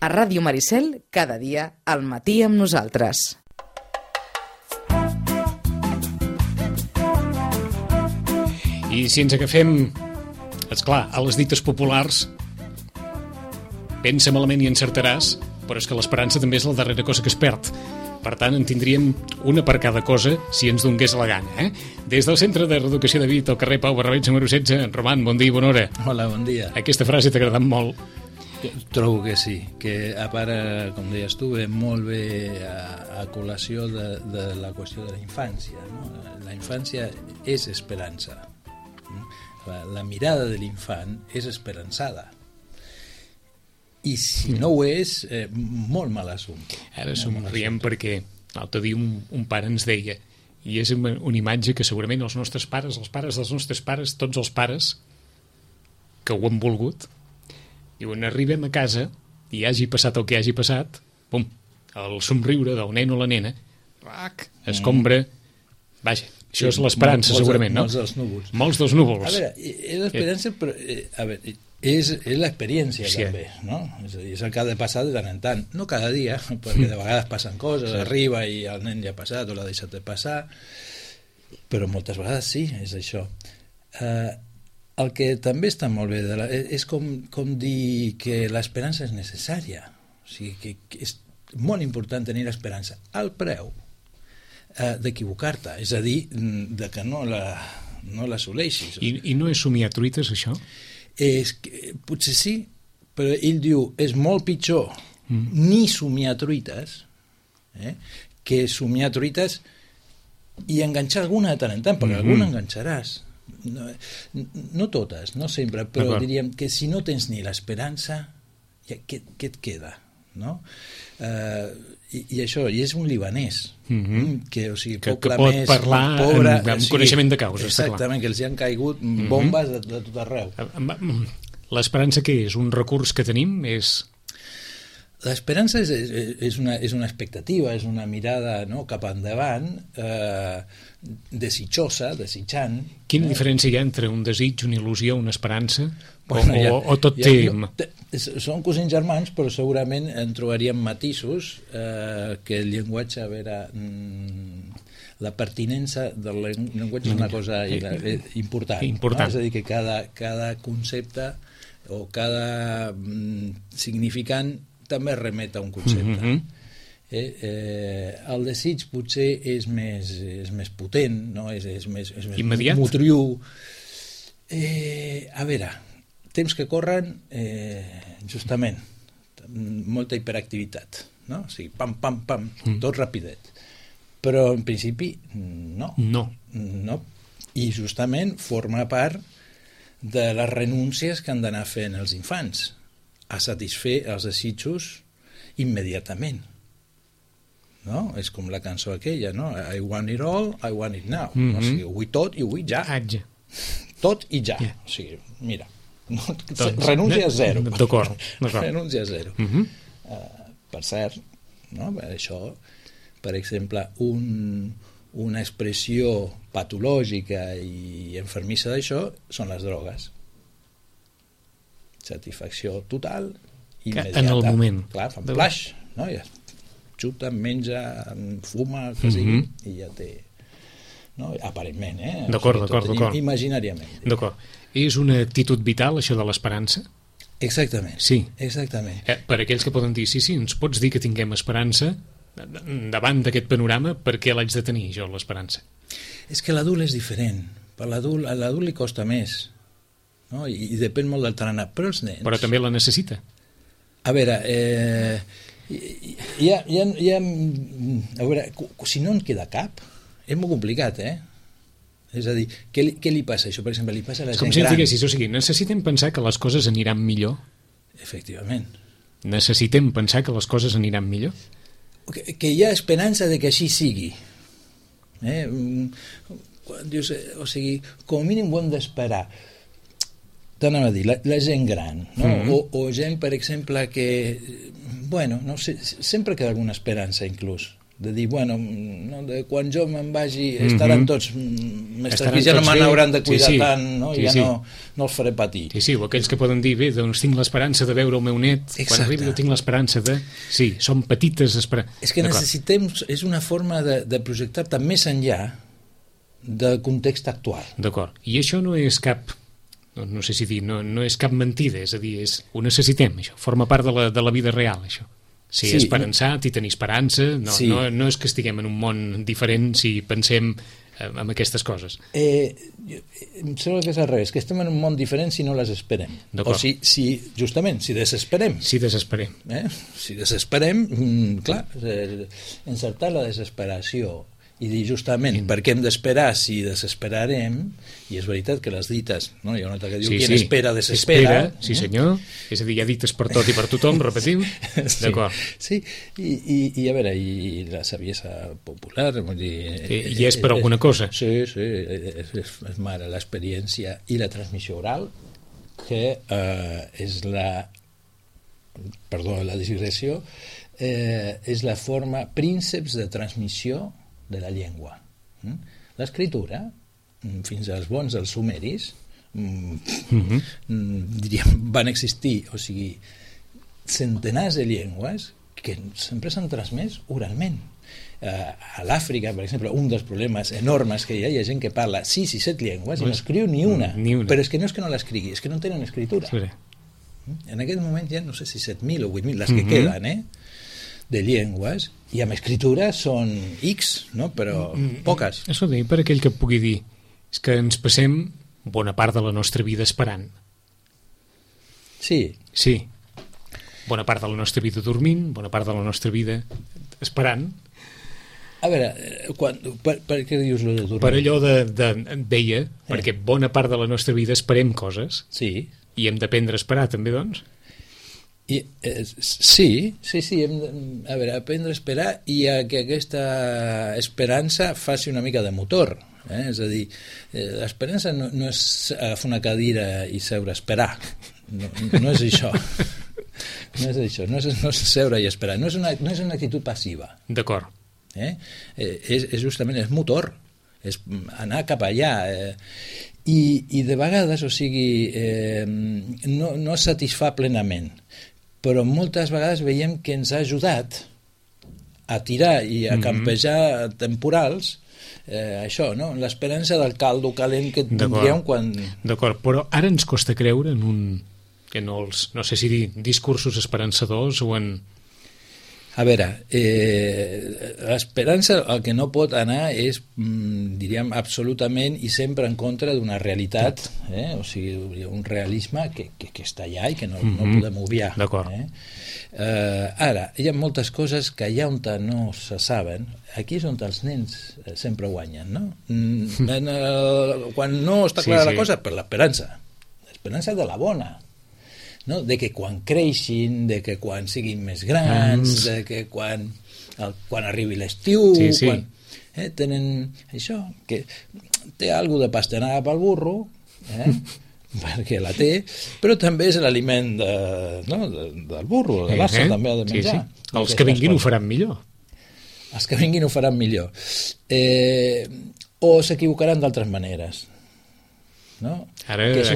A Ràdio Maricel, cada dia, al matí amb nosaltres. I si ens agafem, esclar, a les dites populars, pensa malament i encertaràs, però és que l'esperança també és la darrera cosa que es perd. Per tant, en tindríem una per cada cosa si ens donés la gana. Des del Centre de Reeducació de Vic, al carrer Pau Barrabets, número 16. Roman, bon dia i bona hora. Hola, bon dia. Aquesta frase t'ha agradat molt. Trobo que sí, que a part, com deies tu, ve molt bé a col·lació de la qüestió de la infància. No? La infància és esperança. La mirada de l'infant és esperançada. I si no ho és, molt mal assumpte. Ara somriem perquè l'altre dia un pare ens deia, i és una imatge que segurament els nostres pares, els pares dels nostres pares, tots els pares que ho han volgut, diuen, arribem a casa i hagi passat el que hagi passat, pum, el somriure del nen o la nena, escombra, vaja, això és l'esperança segurament, no? Molts dels núvols. Molts dels núvols. A veure, és l'esperança, però, a veure, és l'experiència també, no? És a dir, és el que ha de passar de tant en tant, no cada dia, perquè de vegades passen coses, arriba i el nen ja ha passat o l'ha deixat de passar, però moltes vegades sí, és això. El que també està molt bé és com dir que l'esperança és necessària, o sigui que és molt important tenir l'esperança al preu d'equivocar-te, és a dir, de que no l'assoleixis. I no és somiar truites, això? Potser sí, però ell diu és molt pitjor ni somiar truites que somiar truites i enganxar alguna de tant en tant, perquè alguna enganxaràs, no totes, no sempre, però diríem que si no tens ni l'esperança, què et queda, no? I això, i és un libanès que, o sigui, que pot parlar pobre, amb coneixement de causa. Exactament, que els hi han caigut bombes de tot arreu. L'esperança què és? Un recurs que tenim? L'esperança és una expectativa, és una mirada, no, cap endavant, desitjosa, desitjant. Quina diferència hi ha entre un desig, una il·lusió, una esperança? O tot té... Són cosins germans, però segurament en trobaríem matisos que el llenguatge, a veure, la pertinença del llenguatge és una cosa important. No? És a dir, que cada concepte o cada significant també remet a un concepte. El desig potser és més potent, no? És més motriu. A veure, temps que corren, justament, molta hiperactivitat, no? O sigui, pam, pam, pam, tot rapidet. Però en principi no. I justament forma part de les renúncies que han d'anar fent els infants a satisfer els desitjos immediatament. No? És com la cançó aquella, no? I want it all, I want it now. O sigui, ho vull tot i ho vull ja. Tot i ja. O sigui, mira, renúncia zero. D'acord. Renúncia zero. Per cert, no? Això, per exemple, una expressió patològica i enfermissa d'això són les drogues. Satisfacció total, immediata. En el moment. Clar, fan flash, no? Ja xuta, menja, fuma, el que sigui, i ja té... No? Aparentment, D'acord. Imaginàriament. D'acord. És una actitud vital, això de l'esperança? Exactament. Sí. Exactament. Per aquells que poden dir, sí, ens pots dir que tinguem esperança davant d'aquest panorama, per què l'haig de tenir, jo, l'esperança? És que l'adult és diferent. A l'adult li costa més, no? I depèn molt del tarannà. Però els nens... Però també la necessita. A veure, a veure, si no en queda cap, és molt complicat, És a dir, què li passa això? Per exemple, li passa a la gent gran. És com si diguessis, o sigui, necessitem pensar que les coses aniran millor. Efectivament. Necessitem pensar que les coses aniran millor. Que hi ha esperança de que així sigui. Dius, o sigui, com a mínim ho hem d'esperar. T'anava a dir, la gent gran, no? O gent, per exemple, que, bueno, no sé, sempre queda alguna esperança inclús de dir, bueno, no, de quan jo me'n vagi estaran tots més tranquils, ja no me n'hauran de cuidar tant, no? Ja no els faré patir. Sí, o aquells que poden dir, bé, doncs tinc l'esperança de veure el meu net, quan arribi jo tinc l'esperança de... Sí, són petites esperances. És que necessitem, és una forma de projectar-te més enllà del context actual. D'acord, i això no és cap... No sé si dir, no és cap mentida, és a dir, ho necessitem, això, forma part de la vida real, això. Ser esperançat i tenir esperança, no és que estiguem en un món diferent si pensem en aquestes coses. Em sembla que és al revés, que estem en un món diferent si no les esperem. O justament, si desesperem. Si desesperem. Si desesperem, clar, encertar la desesperació i dir justament per què hem d'esperar si desesperarem, i és veritat que les dites, no? Hi ha una altra que diu qui espera desespera. Sí senyor, és a dir, hi ha dites per tot i per tothom, repetim. D'acord. Sí, i a veure, i la saviesa popular, vull dir... I és per alguna cosa. Sí, és mare l'experiència i la transmissió oral, que és la digressió, és la forma prínceps de transmissió de la llengua. L'escriptura, fins als bons dels sumeris, diríem, van existir, o sigui, centenars de llengües que sempre s'han transmès oralment. A l'Àfrica, per exemple, un dels problemes enormes que hi ha gent que parla 6 i 7 llengües i no escriu ni una. Però és que no és que no l'escrigui, és que no tenen escritura. En aquest moment ja no sé si 7.000 o 8.000 les que queden, de llengües, i amb escritura són X, no? Però poques. Això ho dic per aquell que pugui dir és que ens passem bona part de la nostra vida esperant. Sí. Bona part de la nostra vida dormint, bona part de la nostra vida esperant. A veure, per què dius lo de dormir? Per allò deia, perquè bona part de la nostra vida esperem coses. Sí. I hem d'aprendre a esperar també, doncs? Sí, hem aprendre a esperar i a que aquesta esperança faci una mica de motor. És a dir, l'esperança no és fer una cadira i seure a esperar. No és això. No és seure i esperar. No és una actitud passiva. D'acord. És justament és motor, és anar cap allà. I de vegades, o sigui, no es satisfà plenament, però moltes vegades veiem que ens ha ajudat a tirar i a campejar temporals, això, no? L'esperança del caldo calent que tindríem quan... D'acord, però ara ens costa creure en que no sé si dir discursos esperançadors o en... A veure, l'esperança el que no pot anar és, diríem, absolutament i sempre en contra d'una realitat, o sigui, un realisme que està allà i que no podem obviar. D'acord. Ara, hi ha moltes coses que allà on no se saben, aquí és on els nens sempre guanyen, no? Quan no està clara la cosa, per l'esperança de la bona. No? De que quan creixin, de que quan siguin més grans, de que quan arribi l'estiu, tenen això, que té alguna de pastanaga pel burro, perquè la té, però també és l'aliment del burro, de l'assa també ha de menjar. Els que vinguin ho faran millor. Els que vinguin ho faran millor. O s'equivocaran d'altres maneres. No? Ara que és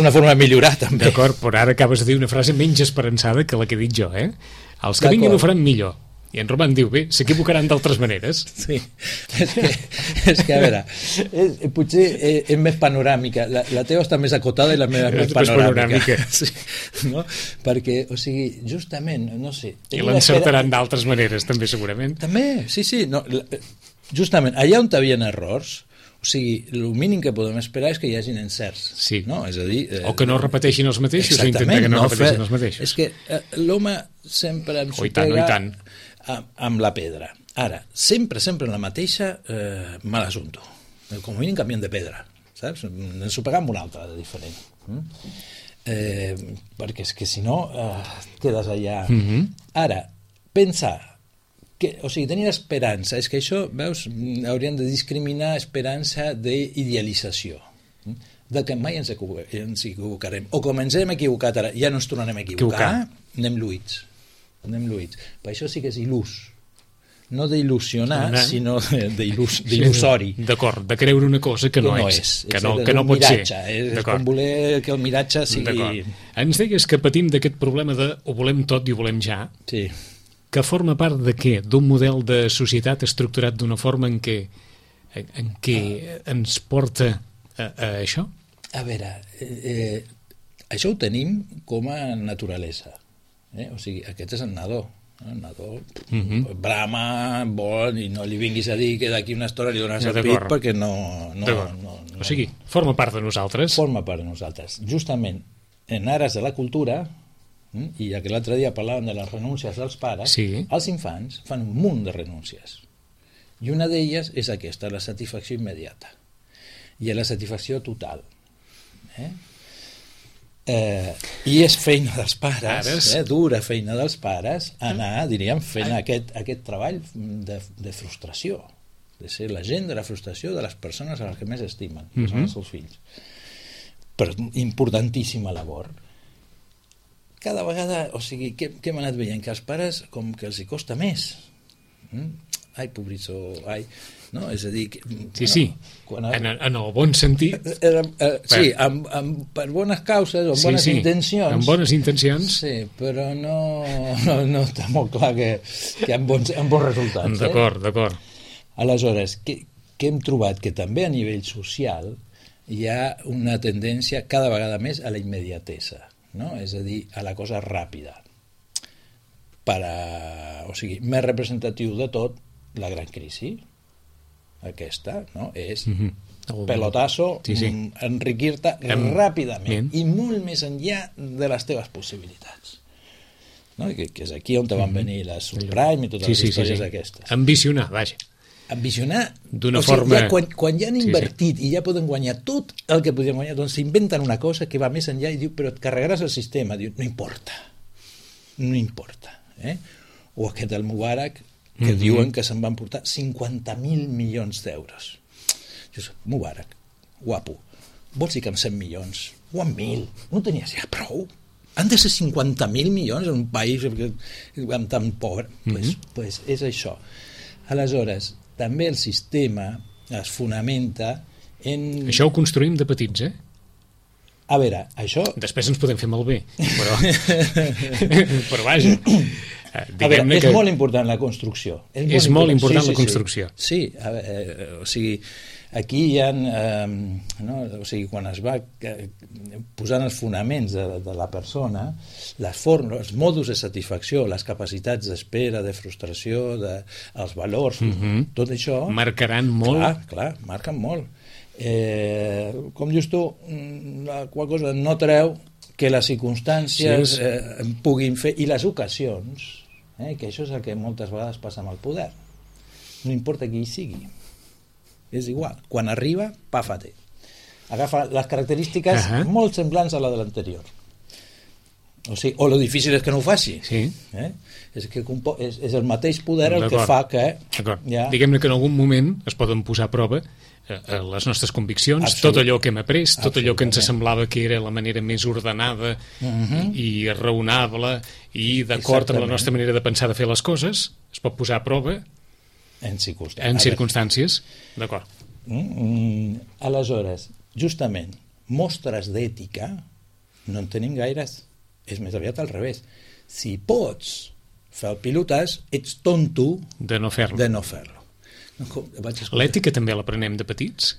una forma de millorar també. D'acord, però ara acabes de dir una frase menys esperançada que la que he dit jo, Els que vinguin ho faran millor. I en Roman diu, bé, s'equivocaran d'altres maneres. Sí, és que a veure, potser és més panoràmica, la teva està més acotada i la meva és més panoràmica. Sí, no? Perquè, o sigui, justament, no sé... I l'encertaran d'altres maneres, també, segurament. També, sí, no, justament, allà on hi havia errors, o sigui, el mínim que podem esperar és que hi hagin encerts. Sí. No? És a dir, o que no repeteixin els mateixos, o intentar que no repeteixin els mateixos. És que l'home sempre ens pega amb la pedra. Ara, sempre en la mateixa mal assumpto. Com a mínim canviem de pedra. Saps? Ens ho pegam una altra de diferent. Perquè és que si no quedes allà. Ara, pensar o sigui, tenir esperança, és que això, veus, hauríem de discriminar esperança d'idealització, de que mai ens equivocarem, o com ens hem equivocat ara, ja no ens tornarem a equivocar, anem lluïts. Per això sí que és il·lús. no d'il·lusionar, sinó d'il·lusori. D'acord, de creure una cosa que no és. Que no pot ser. És com voler que el miratge sigui... Ens deies que patim d'aquest problema de ho volem tot i ho volem ja, sí. Que forma part de què? D'un model de societat estructurat d'una forma en què ens porta a això? A veure, això ho tenim com a naturalesa. O sigui, aquest és el nadó. El nadó brama, vol, i no li vinguis a dir que d'aquí una estona li dones el pit perquè no... O sigui, forma part de nosaltres. Forma part de nosaltres. Justament, en ares de la cultura, i ja que l'altre dia parlàvem de les renúncies dels pares, els infants fan un munt de renúncies. I una d'elles és aquesta, la satisfacció immediata. I la satisfacció total. I és feina dels pares, dura feina dels pares, anar, diríem, fent aquest treball de frustració, de ser la gent de la frustració de les persones a les que més estimen, que són els seus fills. Però importantíssima labor. Cada vegada, o sigui, què hem anat veient? Que als pares com que els hi costa més. Ai, pobritzo, ai... No? És a dir... En el bon sentit. Sí, per bones causes o bones intencions. Amb bones intencions. Sí, però no està molt clar que amb bons resultats. D'acord. Aleshores, què hem trobat? Que també a nivell social hi ha una tendència cada vegada més a la immediatesa, no? És a dir, a la cosa ràpida. O sigui, més representatiu de tot, la gran crisi, aquesta, no? És pelotazo, enriquir-te ràpidament i molt més enllà de les teves possibilitats. No? Que és aquí on te van venir les subprime i totes les històries aquestes. Ambicionar, vaja. Ambicionar, d'una forma... Quan ja han invertit i ja poden guanyar tot el que podien guanyar, doncs s'inventen una cosa que va més enllà i diu, però et carregaràs el sistema. Diu, no importa. O aquest el Mubarak, que diuen que se'n van portar 50.000 milions d'euros. Mubarak, guapo, vols dir que amb 100 milions o amb 1.000 no tenies ja prou? Han de ser 50.000 milions en un país tan pobre? Pues és això. Aleshores, també el sistema es fonamenta en... Això ho construïm de petits, A veure, això... Després ens podem fer malbé, però vaja... A veure, és molt important la construcció. És molt important la construcció. Sí, o sigui, aquí hi ha... O sigui, quan es va posant els fonaments de la persona, les formes, els modus de satisfacció, les capacitats d'espera, de frustració, els valors, tot això... Marcaran molt. Clar, marquen molt. Com dius tu, la qual cosa no treu que les circumstàncies puguin fer, i les ocasions, que això és el que moltes vegades passa amb el poder. No importa qui hi sigui, és igual, quan arriba, pàfate, agafa les característiques molt semblants a la de l'anterior. O sigui, o lo difícil és que no ho faci. És el mateix poder el que fa que... Diguem-ne que en algun moment es poden posar a prova les nostres conviccions, tot allò que hem après, tot allò que ens semblava que era la manera més ordenada i raonable i d'acord amb la nostra manera de pensar de fer les coses, es pot posar a prova en circumstàncies. D'acord. Aleshores, justament, mostres d'ètica no en tenim gaires, és més aviat al revés. Si pots fer el pilotàs, ets tonto de no fer-lo. L'ètica també l'aprenem de petits?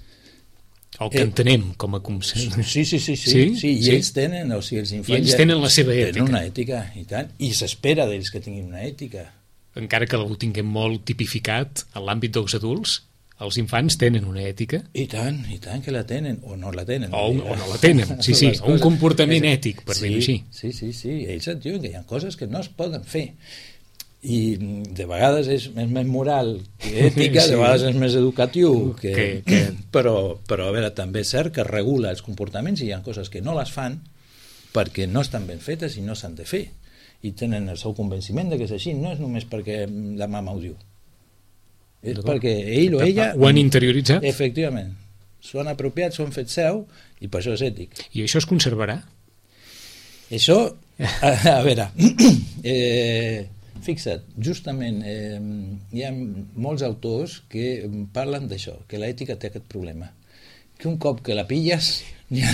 El que entenem com a concepte. Sí, i ells tenen, o sigui, els infants... I ells tenen la seva ètica. Tenen una ètica, i tant, i s'espera d'ells que tinguin una ètica. Encara que ho tinguem molt tipificat en l'àmbit dels adults, els infants tenen una ètica. I tant que la tenen, o no la tenen. O no la tenen, un comportament ètic, per dir-ho així. Sí, ells et diuen que hi ha coses que no es poden fer. I de vegades és més moral que ètica, de vegades és més educatiu però a veure, també és cert que regula els comportaments i hi ha coses que no les fan perquè no estan ben fetes i no s'han de fer i tenen el seu convenciment de que és així, no és només perquè la mama ho diu, és perquè ell o ella ho han interioritzat, efectivament, s'ho han apropiat, s'ho han fet seu i per això és ètic. I això es conservarà? Això, a veure fixa't, justament hi ha molts autors que parlen d'això, que l'ètica té aquest problema, que un cop que la pilles ja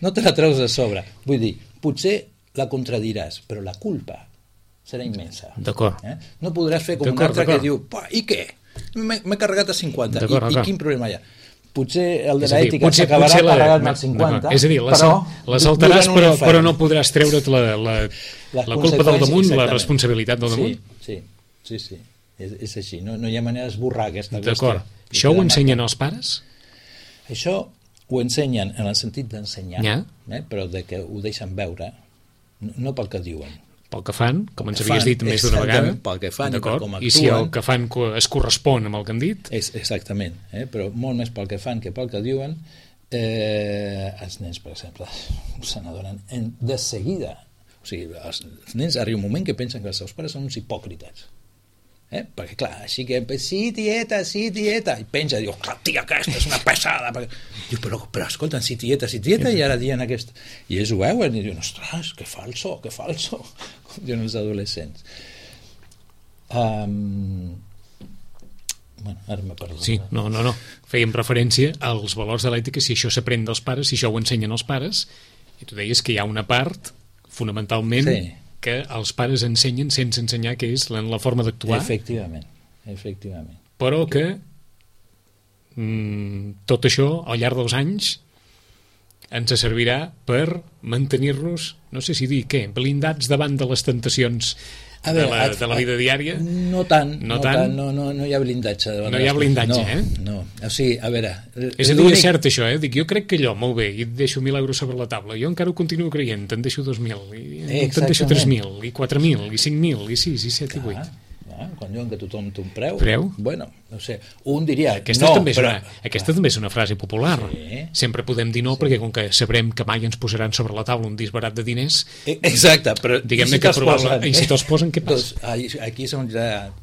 no te la treus de sobre. Vull dir, potser la contradiràs, però la culpa serà immensa. D'acord. No podràs fer com un altre que diu, i què? M'he carregat a 50, i quin problema hi ha? Potser el de l'ètica s'acabarà carregant al 50, és a dir, la saltaràs però no podràs treure't la culpa del damunt, la responsabilitat del damunt. Sí, és així, no hi ha manera d'esborrar aquesta qüestió. D'acord. Això ho ensenyen els pares? Això ho ensenyen en el sentit d'ensenyar, però de que ho deixen veure, no pel que diuen. Pel que fan, com ens havies dit més d'una vegada. Pel que fan i per com actuen. I si el que fan es correspon amb el que han dit? Exactament, però molt més pel que fan que pel que diuen. Els nens, per exemple, se n'adonen de seguida. O sigui, els nens arriba un moment que pensen que els seus pares són uns hipòcrites. Perquè clar, així que sí tieta, i penja, diu, tia, aquesta és una pesada. Diu, però escolta, sí tieta, i ara dient aquesta. I ells ho veuen i diuen, ostres, que falso, com diuen els adolescents. Bueno, ara m'he perdut. Sí, no. Fèiem referència als valors de l'ètica, si això s'aprèn dels pares, si això ho ensenyen els pares, i tu deies que hi ha una part, fonamentalment, que els pares ensenyen sense ensenyar, que és la forma d'actuar. Efectivament. Però que tot això, al llarg dels anys, ens servirà per mantenir-nos, no sé si dir què, blindats davant de les tentacions de la vida diària? No tant, no hi ha blindatge. No hi ha blindatge, No, o sigui, a veure... És a dir, és cert això, Dic, jo crec que allò, molt bé, i et deixo 1.000 euros sobre la taula, jo encara ho continuo creient, te'n deixo 2.000, i te'n deixo 3.000, i 4.000, i 5.000, i 6, i 7, i 8. Quan diuen que tothom té un preu, bueno, no sé, un diria aquesta també és una frase popular. Sempre podem dir no, perquè com que sabrem que mai ens posaran sobre la taula un disbarat de diners, exacte, però diguem-ne que i si te'ls posen, què passa? Aquí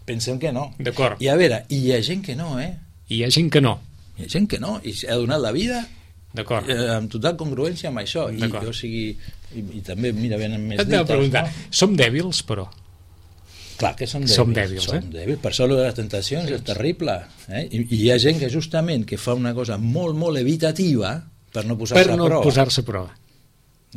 pensem que no. D'acord. I a veure, hi ha gent que no, Hi ha gent que no. Hi ha gent que no, i ha donat la vida amb total congruència amb això, i jo sigui, i també, mira, venen més dites. Preguntar, som dèbils, però? Clar que som dèbils. Per això de les tentacions és terrible. I hi ha gent que justament que fa una cosa molt, molt evitativa per no posar-se a prova.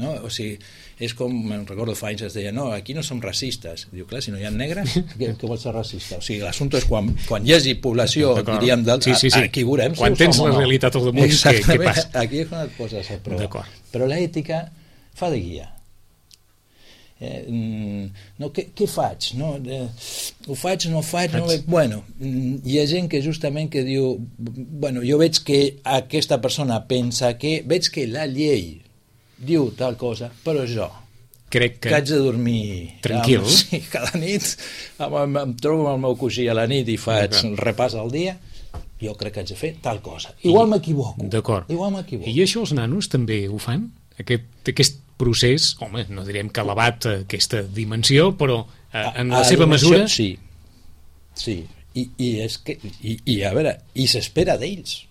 No? O sigui, és com, me'n recordo fa anys es deia, no, aquí no som racistes. Diu, clar, si no hi ha negres, què vol ser racista? O sigui, l'assumpte és quan hi hagi població, diríem, aquí veurem quan tens la realitat al damunt, què passa? Aquí és quan et poses a prova. Però l'ètica fa de guia. Què faig? Ho faig, no ho faig? Bueno, hi ha gent que justament que diu, bueno, jo veig que aquesta persona pensa que, veig que la llei diu tal cosa, però jo crec que haig de dormir tranquil. Cada nit em trobo amb el meu cosí a la nit i faig un repàs al dia, jo crec que haig de fer tal cosa. Igual m'equivoco. D'acord. I això els nanos també ho fan? Aquest procés, home, no direm que elevat a aquesta dimensió, però en la seva mesura... Sí. I a veure, i s'espera d'ells.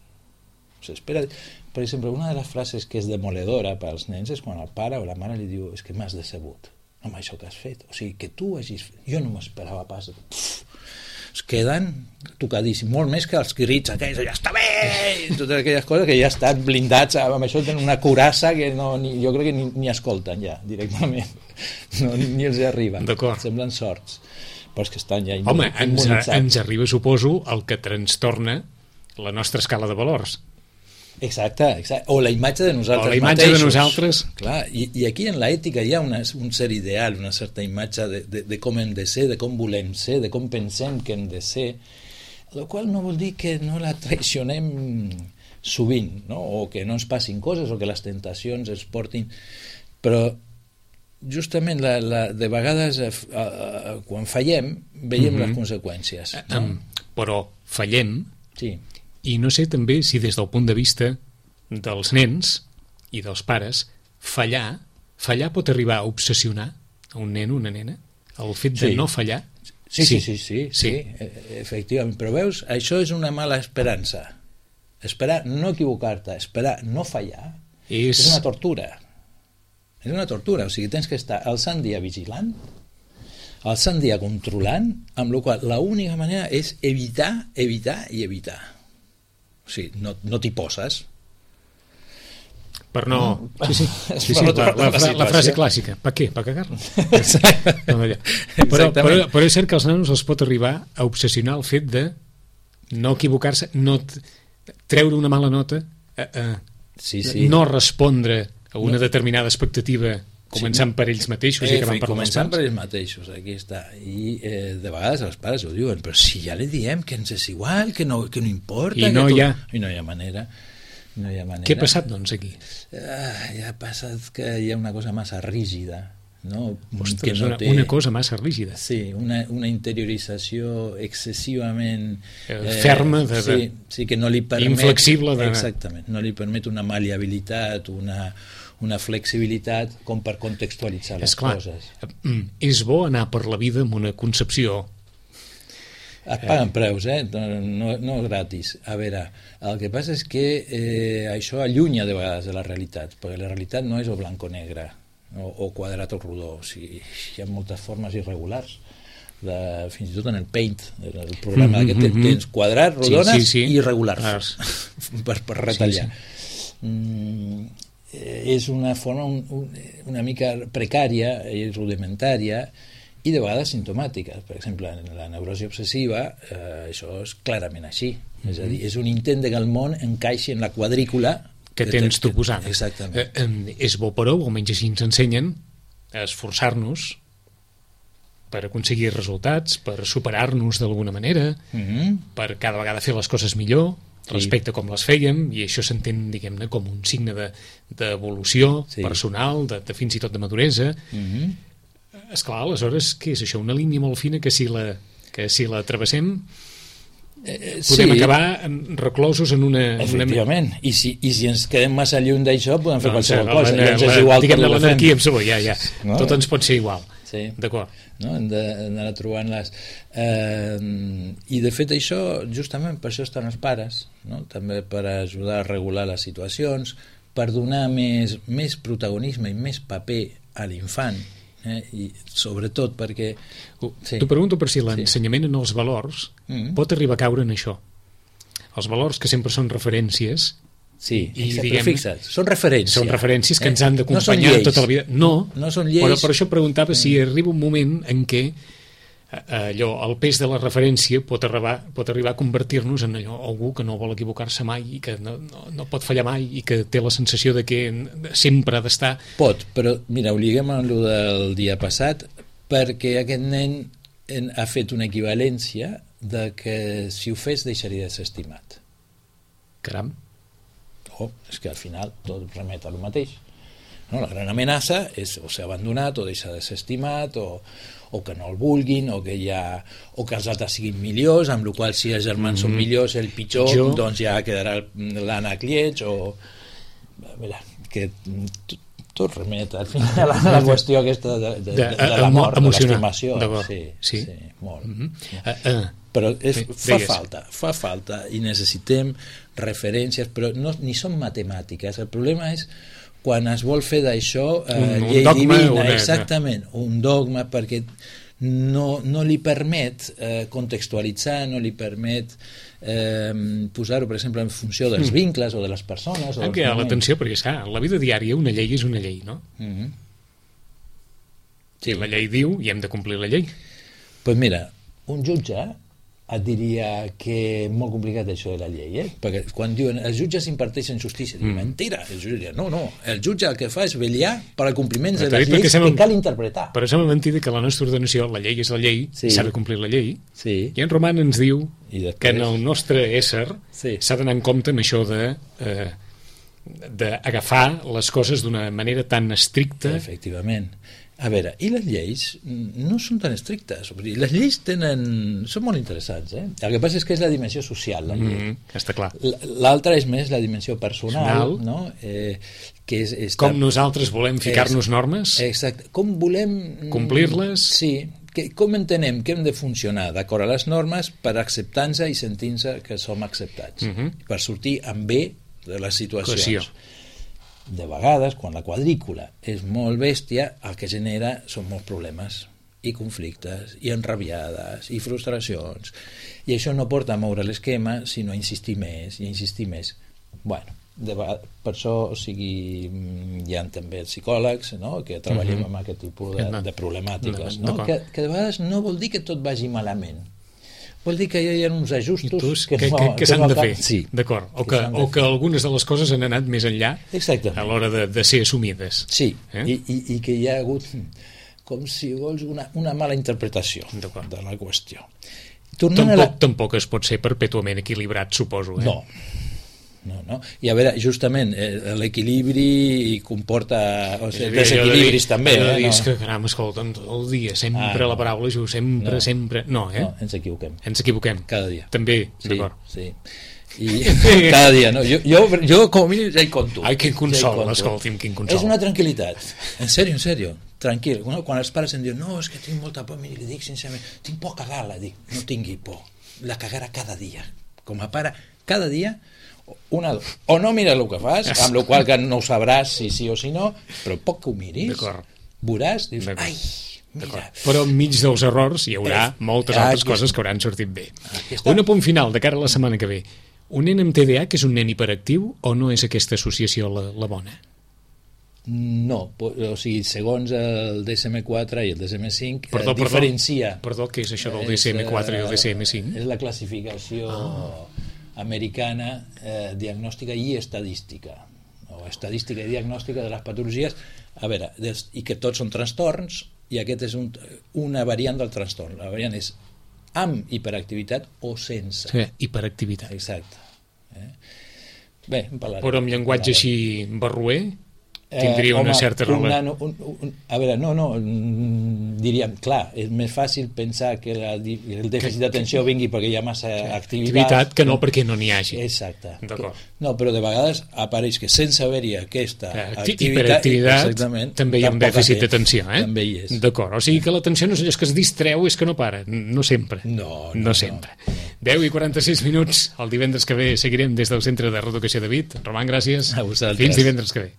Per exemple, una de les frases que és demoledora per als nens és quan el pare o la mare li diu és que m'has decebut amb això que has fet. O sigui, que tu hagis fet... Jo no m'esperava pas... Es queden tocadíssims, molt més que els crits aquells, ja està bé, i totes aquelles coses que ja estan blindats, amb això tenen una curassa que jo crec que ni escolten ja directament, ni els arriba, semblen sorts, però és que estan ja immunitzats. Ens arriba, suposo, el que trastorna la nostra escala de valors. Exacte, o la imatge de nosaltres mateixos. Clar, i aquí en l'ètica hi ha un cert ideal, una certa imatge de com hem de ser, de com volem ser, de com pensem que hem de ser, el qual no vol dir que no la traicionem sovint, no? O que no ens passin coses o que les tentacions ens portin, però justament de vegades quan fallem veiem les conseqüències, no? Però fallem i no sé també si des del punt de vista dels nens i dels pares fallar pot arribar a obsessionar a un nen o una nena, el fet de no fallar. Sí, efectivament, però veus, això és una mala esperança. Esperar no equivocar-te, esperar no fallar és una tortura. És una tortura, o sigui, tens que estar el sant dia vigilant els han d'anar controlant, amb la qual l'única manera és evitar i evitar. O sigui, no t'hi poses. Per no... Sí, la frase clàssica. Per què? Per cagar? Però és cert que els nanos els pot arribar a obsessionar el fet de no equivocar-se, no treure una mala nota, no respondre a una determinada expectativa començant per ells mateixos i acabant per els pares. Per ells mateixos, aquí està. I de vegades els pares ho diuen, però si ja li diem que ens és igual, que no importa... I no hi ha manera. Què ha passat, doncs, aquí? Ja ha passat que hi ha una cosa massa rígida, no? Ostres, una cosa massa rígida. Sí, una interiorització excessivament... ferma, sí, que no li permet... Inflexible. Exactament, no li permet una maleabilitat, una flexibilitat com per contextualitzar les coses. És bo anar per la vida amb una concepció... Et paguen preus, no gratis. A veure, el que passa és que això allunya de vegades de la realitat, perquè la realitat no és o blanc o negre, o quadrat o rodó. O sigui, hi ha moltes formes irregulars, fins i tot en el Paint, el programa que tens quadrats, rodones i irregulars, per retallar. És una forma una mica precària i rudimentària, i de vegades simptomàtiques. Per exemple, en la neurosi obsessiva això és clarament així. És a dir, és un intent de que el món encaixi en la quadrícula que tens tu posant. Exactament. És bo, però, almenys així ens ensenyen a esforçar-nos per aconseguir resultats, per superar-nos d'alguna manera, per cada vegada fer les coses millor respecte a com les fèiem, i això s'entén, diguem-ne, com un signe d'evolució personal, fins i tot de maduresa. Esclar, aleshores, què és això? Una línia molt fina que si la travessem podem acabar reclosos en una... Efectivament, i si ens quedem massa lluny d'això podem fer qualsevol cosa, i ens és igual diguem-ne l'anarquia amb sabó, ja. Tot ens pot ser igual. D'acord. Hem d'anar trobant-les. I de fet això, justament per això estan els pares, també per ajudar a regular les situacions, per donar més protagonisme i més paper a l'infant, i sobretot perquè... T'ho pregunto per si l'ensenyament en els valors pot arribar a caure en això. Els valors que sempre són referències. Sí, però fixa't, són referències. Són referències que ens han d'acompanyar tota la vida. No són lleis. Però per això preguntava si arriba un moment en què el pes de la referència pot arribar a convertir-nos en algú que no vol equivocar-se mai i que no pot fallar mai i que té la sensació de que sempre ha d'estar... Pot, però mira, ho liguem amb el del dia passat, perquè aquest nen ha fet una equivalència de que si ho fes deixaria de ser estimat. Caram. És que al final tot remet a lo mateix. La gran amenaça és o ser abandonat o deixar de ser estimat o que no el vulguin o que els altres siguin millors, amb la qual si els germans són millors el pitjor, doncs ja quedarà l'ànec lleig que tot remet al final a la qüestió aquesta de la mort, de l'estimació. Sí, molt. Però fa falta i necessitem referències, però ni són matemàtiques. El problema és quan es vol fer d'això llei divina, exactament, un dogma, perquè no li permet contextualitzar, no li permet posar-ho, per exemple, en funció dels vincles o de les persones. Hem cridat l'atenció, perquè la vida diària una llei és una llei, no? Sí, la llei diu i hem de complir la llei. Doncs mira, un jutge et diria que és molt complicat això de la llei, perquè quan diuen els jutges imparteixen justícia, diuen mentira, el jutge diria, no, el jutge el que fa és vetllar per al compliment de les lleis que cal interpretar. Però sembla mentida que la nostra ordenació, la llei és la llei, s'ha de complir la llei, i en Roman ens diu que en el nostre ésser s'ha d'anar en compte amb això d'agafar les coses d'una manera tan estricta. Efectivament. A veure, i les lleis no són tan estrictes. Les lleis són molt interessants. El que passa és que és la dimensió social, la llei. Està clar. L'altra és més la dimensió personal, no? Que és com nosaltres volem ficar-nos normes? Exacte. Com volem... complir-les? Sí. Com entenem que hem de funcionar d'acord a les normes per acceptar-nos i sentir-nos que som acceptats. Per sortir amb bé de les situacions. De vegades, quan la quadrícula és molt bèstia, el que genera són molts problemes. i conflictes, i enrabiades, i frustracions. I això no porta a moure l'esquema, sinó a insistir més, i a insistir més. Bueno, per això, o sigui, hi ha també els psicòlegs, no?, que treballem amb aquest tipus de problemàtiques, no? Que de vegades no vol dir que tot vagi malament. Vol dir que hi ha uns ajustos que s'han de fer, sí, d'acord, o que algunes de les coses han anat més enllà a l'hora de ser assumides. Sí, i que hi ha hagut, com si vols, una mala interpretació de la qüestió. Tampoc es pot ser perpètuament equilibrat, suposo. No. I a veure, justament l'equilibri comporta desequilibris també. És que, caram, escolta'm, tot el dia sempre la paraula sempre. No, ens equivoquem. Cada dia. També, d'acord. Sí. I cada dia, no? Jo com a mínim ja hi conto. Ai, quin consol, escolti'm, quin consol. És una tranquil·litat, en sèrio, tranquil. Quan els pares em diuen, no, és que tinc molta por, li dic sincerament, tinc por a cagar-la, dic, no tingui por, la cagarà cada dia. Com a pare, cada dia, o no mires el que fas, amb la qual que no ho sabràs si sí o si no, però poc que ho miris, veuràs, dius, ai, mira. Però enmig dels errors hi haurà moltes altres coses que hauran sortit bé. Un apunt final de cara a la setmana que ve. Un nen amb TDA que és un nen hiperactiu o no és aquesta associació la bona? No, o sigui, segons el DSM-4 i el DSM-5 diferencia. Perdó, què és això del DSM-4 i el DSM-5? És la classificació americana diagnòstica i estadística, o estadística i diagnòstica de les patologies, a veure, i que tots són trastorns, i aquest és una variant del trastorn. La variant és amb hiperactivitat o sense. Sí, hiperactivitat. Exacte. Bé, en parlarem. Però amb llenguatge així barroer tindria una certa relació. A veure, no, diríem, clar, és més fàcil pensar que el dèficit d'atenció vingui perquè hi ha massa activitat que no perquè no n'hi hagi. Exacte. No, però de vegades apareix que sense haver-hi aquesta hiperactivitat també hi ha un dèficit d'atenció, també hi és. D'acord, o sigui que l'atenció no és allò que es distreu, és que no para, no sempre. No sempre. 10:46 minuts, el divendres que ve seguirem des del Centre de Reeducació de Vic. Roman, gràcies. A vosaltres. Fins divendres que ve.